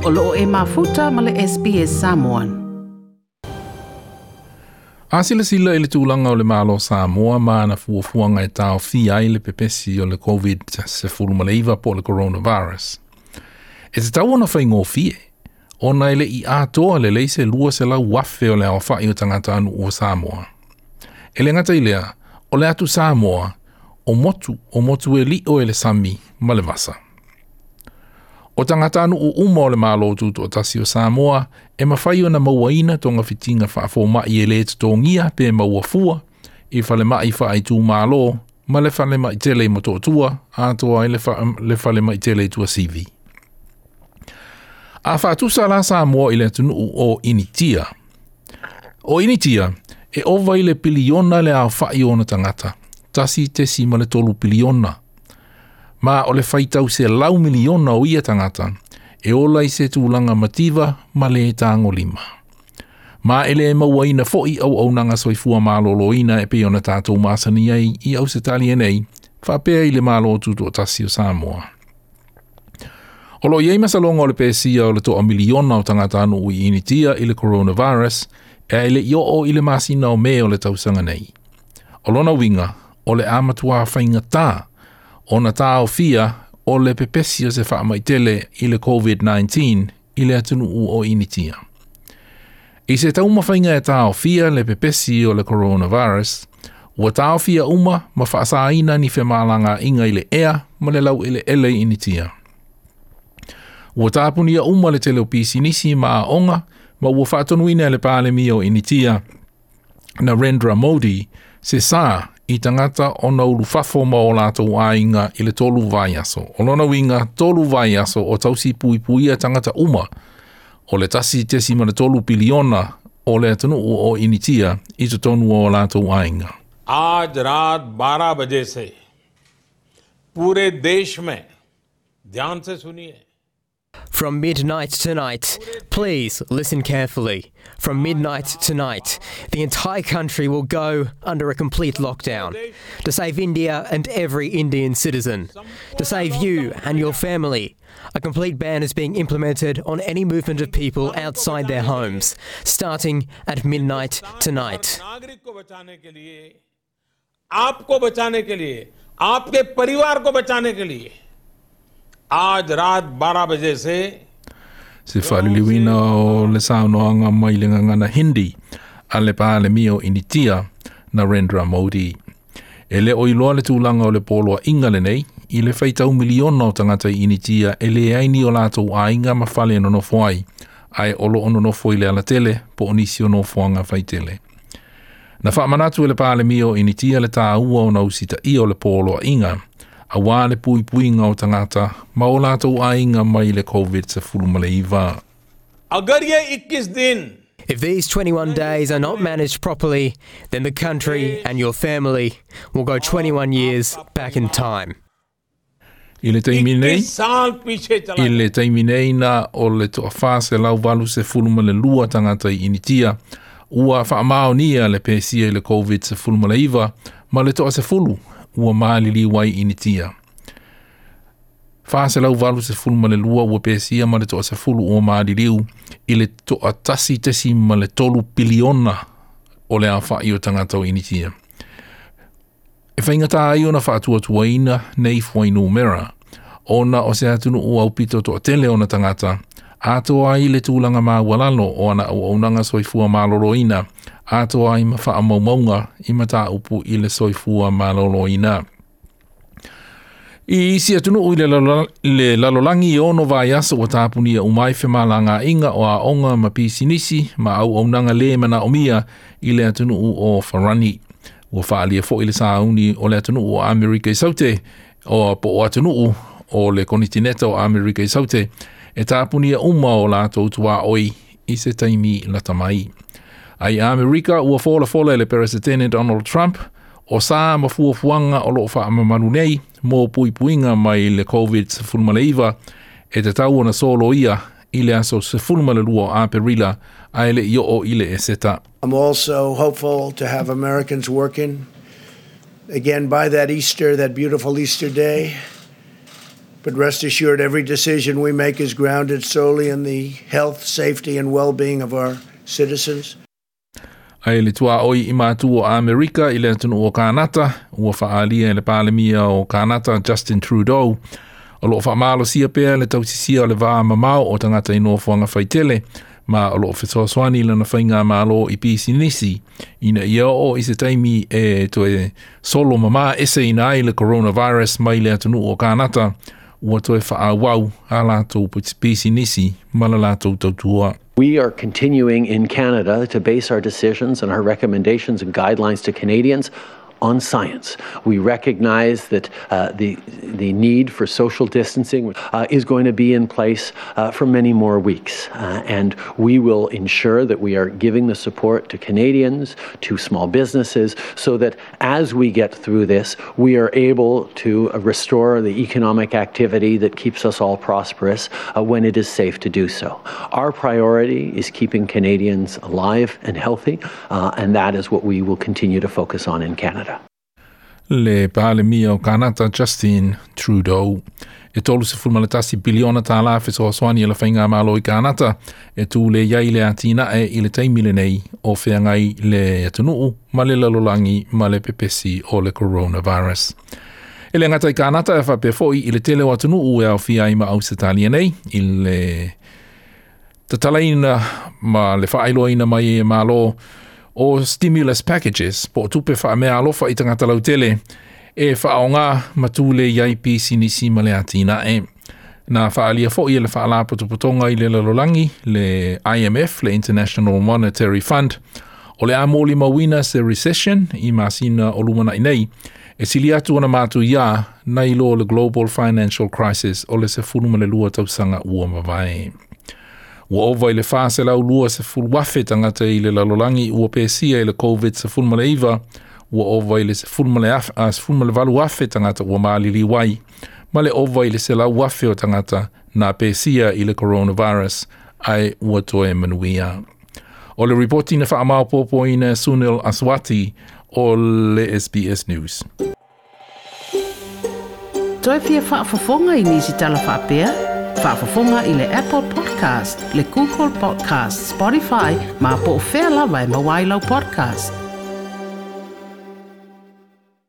O loo e mafuta ma le SBS Samoan. A silasila i le tulaga o le Malo o Samoa ma ana fuafuaga e taofia ai le pepesi o le COVID-19 po o le coronavirus. E tatau ona faigofie, ona e le i atoa lelei se 200,000 o le aofai o tagatanuu o Samoa. E le gata i lea, o le atu Samoa, o motu o motu e li'o e le sami ma le vasa. O tagatanuu uma o le Malo Tutoatasi o Samoa e mafai ona mauaina togafitiga faafoma'i e lē totogia pe maua fua i falema'i faaitumālō ma le falema'i tele i Motootua atoa ai le falema'i tele i Tuasivi. A faatusa la Samoa i le atunuu o Initia. O Initia, e ova i le piliona le aofa'i o ona tagata, 1.3 piliona. Ma o le faitau 100 miliona o ia tagata, e ola i se tulaga mativa ma lē tagolima. Ma e lē mauaina fo'i auaunaga soifua malōlōina e pei ona tatou masani ai i Ausetalia nei, faapea i le Malo Tutoatasi o Samoa. O loo i ai masaloga o le pesia o le 1 miliona o tagatanuu i Initia i le coronavirus e le i oo i le masina o Me o le tausaga nei. O lona uiga, o le a matuā faigata ona taofia o le pepesi o se faamai tele i le COVID-19 i le atunuu o Initia. I se taumafaiga e taofia le pepesi o le coronavirus, ua taofia uma ma faasaina ni femalagaaiga i le ea ma le laueleele i Initia. Ua tapunia uma le tele o pisinisi ma aoga ma ua faatonuina e le Palemia o Initia Narendra Modi se sā i tagata ona ulufafo ma o latou aiga i le 3 vaiaso. O lona uiga 3 vaiaso o tausi puipuia tagata uma o le 1.3 piliona o le atunuu o Initia i totonu o latou aiga. आज रात 12 बजे से पूरे देश में, ध्यान से सुनिए, From midnight tonight, please listen carefully. From midnight tonight, the entire country will go under a complete lockdown to save India and every Indian citizen, to save you and your family. A complete ban is being implemented on any movement of people outside their homes, starting at midnight tonight. नागरिक को बचाने के लिए, आपको बचाने के लिए, आपके परिवार को बचाने के लिए आज रात 12 बजे से Se faaliliuina o le saunoaga mai le gagana Hindi a le Palemia o Initia Narendra Modi. E le o iloa le tulaga o le poloaiga lenei i le faitau miliona o tagata i Initia e leai ni o latou aiga ma fale e nonofo ai, ae o loo nonofo i le alatele po o nisi o nofoaga faitele. Na faamanatu e le Palemia o Initia le tāua ona usitaia o le poloaiga, auā le puipuiga o tagata ma o latou aiga mai le COVID-19. अगर ये 21 दिन If these 21 days are not managed properly, then the country and your family will go 21 years back in time. I le taimi nei, 21 साल पीछे चला i le taimi nei na o le 482 tagata i Initia, ua faamaonia le pesia i le COVID-19 ma le 10 ua maliliu ai i Initia. 482 ua pesia ma le 10 ua maliliu i le 1.3 piliona o le aofa'i o tagata o Initia. E faigata ai ona faatuatuaina nei fuainumera, ona o se atunuu aupito toatele ona tagata, atoa ai le tulaga maualalo o ana auaunaga soifua malōlōina, atoa ai ma faamaumauga i mataupu i le soifua malōlōina. I isi atunuu i le lalolagi e 6 vaiaso ua tapunia uma ai femalagaaiga o aoga ma pisinisi ma auaunaga lē manaomia i le atunuu o Farani. Ua faaalia fo'i le sauni o le atunuu o Amerika i Saute o po o atunuu o le konitineta o Amerika i Saute e tapunia uma o latou tuaoi i se taimi lata mai. Ai Amerika ua folafola e le Peresetene Donald Trump o sa ma fuafuaga o loo faamamalu nei mo puipuiga mai le COVID-19 e tatau ona soloia i le aso 12 o Aperila ae le i oo i le Eseta. I'm also hopeful to have Americans working again by that Easter, that beautiful Easter day. But rest assured, every decision we make is grounded solely in the health, safety, and well being of our citizens. Ae le tuaoi i mātu o Amerika i le atunuu o Kanata, ua faaalia e le Palemia o Kanata Justin Trudeau, o loo faamalosia pea le tausisia o le va mamao o tagata i nofoaga faitele, ma o loo fesoasoani lana faigamalo i pisinisi, ina ia oo i se taimi e toe solo mamā eseina ai le coronavirus mai le atunuu o Kanata, ua toe faaauau a latou pisinisi ma le latou tautua. We are continuing in Canada to base our decisions and our recommendations and guidelines to Canadians on science. We recognize that the need for social distancing is going to be in place for many more weeks. And we will ensure that we are giving the support to Canadians, to small businesses, so that as we get through this, we are able to restore the economic activity that keeps us all prosperous when it is safe to do so. Our priority is keeping Canadians alive and healthy, and that is what we will continue to focus on in Canada. Le Palemia o Kanata Justin Trudeau. E 31 piliona tālā fesoasoani e le faigamalo i Kanata e tulei ai le atinae i le taimi lenei o feagai le atunuu ma le lalolagi ma le pepesi o le coronavirus. E le gata i Kanata e faapea foi i le tele o atunuu e aofia ai ma Ausetalia nei i le tatalaina ma le faailoaina mai e malo o stimulus packages po o tupe faameaalofa i tagata lautele e faaaogā ma tulei ai pisinisi ma le atinae. Na faaalia foi e le faalapotopotoga i le lalolagi le IMF, le International Monetary Fund, o le a molimauina se recession i masina o lumanai nei, e sili atu ona matuiā nai lo le Global Financial Crisis o le 12 tausaga ua mavae. Ua ova i le 420,000 tagata i le lalolagi ua pesia i le COVID-19, ua ova i le 18,000 tagata ua maliliu ai, ma le ova i le 100,000 o tagata na pesia i le coronavirus ae ua toe manuia. O le ripoti na faamaopoopoina Sunil Aswati o le SBS News. Toe fia faafofoga i nisi tala faapea? Faafofoga i le Apple Podcast, le Google Podcast, Spotify, ma po o fea lava e maua ai lau podcast.